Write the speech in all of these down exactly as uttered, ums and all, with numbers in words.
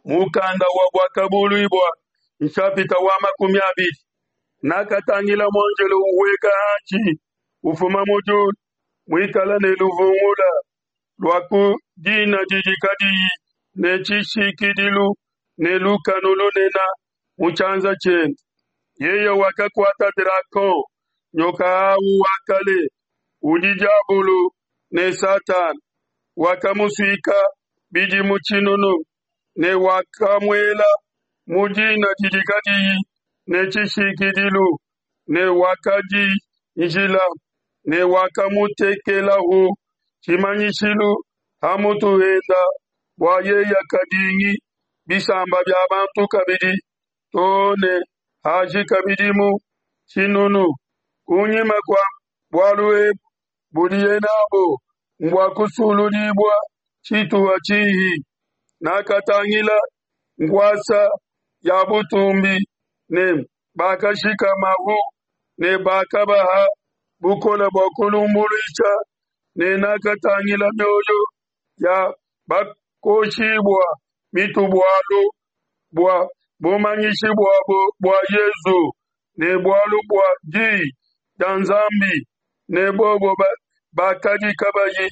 Mukanda wa Buakabuluibua, nshapita wa makumi abidi. Nakatangila muanjelo uhueka hanshi, ufuma mu diulu, muikale ne luvungula lua ku dina didi kadiyi ne tshishikidilu, ne lukanu lunene mu tshianza tshiende. Yeye wakakuata drakon, nyoka au wa kale, udi diabolo ne Satana, wakamusuika bidimu tshinunu, ne wakamuela mu dina didi kadiyi ne tshishikidilu, ne wakadinjila, ne wakamutekelahu tshimanyishilu ha mutu henda, bua yeye kadingi bisamba bia bantu kabidi, to ne hajika bidimu tshinunu. Kunyima kua bualu ebu budiye n'abu mbua kusuludibua tshituha tshihi. Nakatangila nkuasa ya butumbi ne bakashikamahu, ne bakabaha bukole bua kulumbuluisha, ne nakatangila mioyo ya bakoshibua mitu bualu bua bumanyishi buabo bua Yesu ne bualu bua di dia Nzambi, ne bobo bakadi kabayi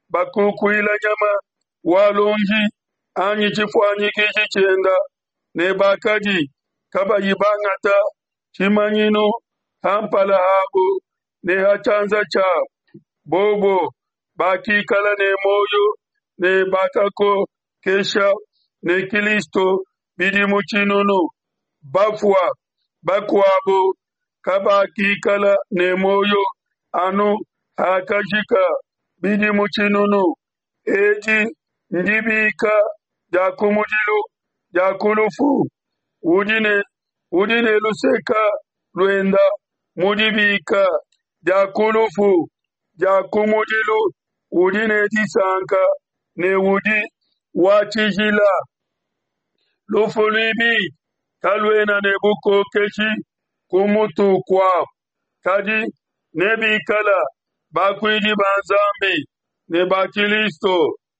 bakukuila nyama wa luonji anyi tshifuanyikiji tshienda, ne bakadi kabayi bangata tshimanyinu ha mpala habo ne ha tshianza tshiabo. Bobo bakikala ne muoyo ne bakakokesha ne Kilisto bidimu tshinunu. Bafua bakuabo kabakikala ne muoyo anu hakajika bidimu tshinunu. Edi ndibika dia kumudilu dia ku lufu. Udi ne, udi ne luseke luenda mu dibika dia ku lufu dia kumudilu udi ne disanka ne udi wa tshijila. Lufu luibidi kaluena ne bukokeshi ku mutu kuabo, kadi nebikala bakuidi ba Nzambi ne ba Kilisto,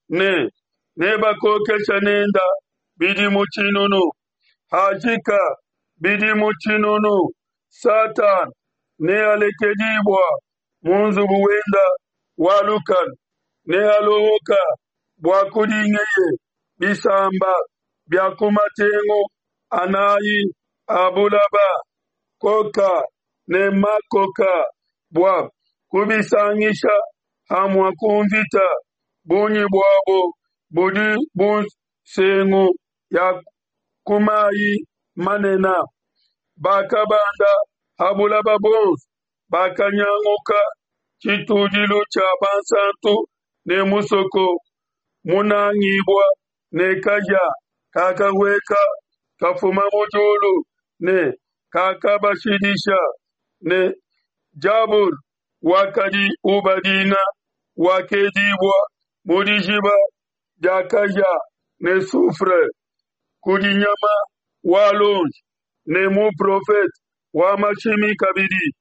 ne nebakokesha nenda bidimu tshinunu. Hajika bidimu tshinunu, Satana nealekedibua mu nzubu wenda wa lukanu, nealuhuka bua kudingeye bisamba bia ku matengu anayi a bulaba, Koka ne Makoka, bua kubisangisha hamue ku mvita. Bungi buabo budi bu nsengu ya ku mai manene. Bakabanda ha bulaba buonso, bakanyanguka tshitudilu tshia bansanto ne musoko munangibua, ne kahia kakahueka kafuma mu diulu ne kakabashidisha, ne diabolo wakadi ubadinga wakedibua mu dijiba dia kahia ne soufre, kudi nyama wa luonji ne muprofete wa mashimi kabidi,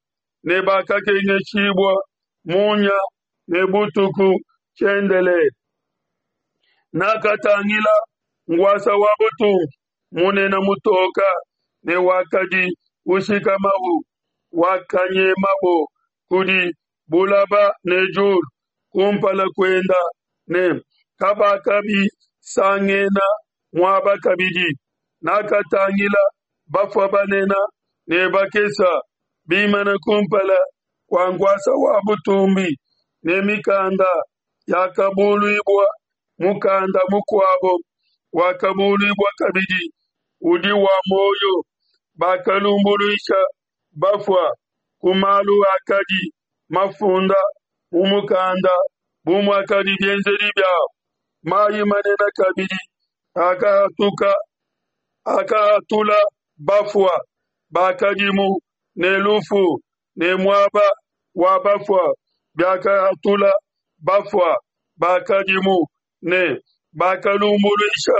ne bakakengeshibua munya ne butuku tshiendelele. Nakatangila nkuasa wa butumbi munene mutoka ne wakadi ushikamahu, wakanyemabo kudi bulaba ne diulu kumpala kuenda, ne kabakabisangena muaba kabidi. Nakatangila bafua banene ne bakese bimana kumpala kua nkuasa wa butumbi, ne mikanda yakabuluibua. Mukanda mukuabo wakabuluibua kabidi, udi wa muoyo. Bakalumbuluisha bafua ku malu akadi mafunda mu mukanda bu muakadi bienzedi biabo. Mai manene kabidi akahatuka akahatula bafua bakadimu, ne lufu ne muaba wa bafua biakahatula bafua bakadimu, ne bakalumbuluisha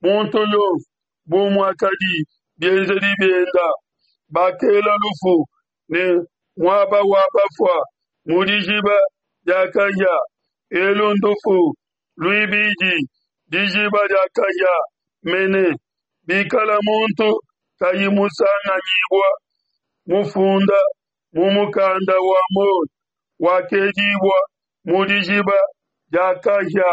muntu yonso bu muakadi bienzedi bienda. Bakela lufu ne muaba wa bafua mu dijiba dia kahia. Elu ndufu luibidi, dijiba dia kahia. mene, bikala muntu kayi musanganyibua mufunda mu mukanda wa muoyo, wakedibua mu dijiba dia kahia.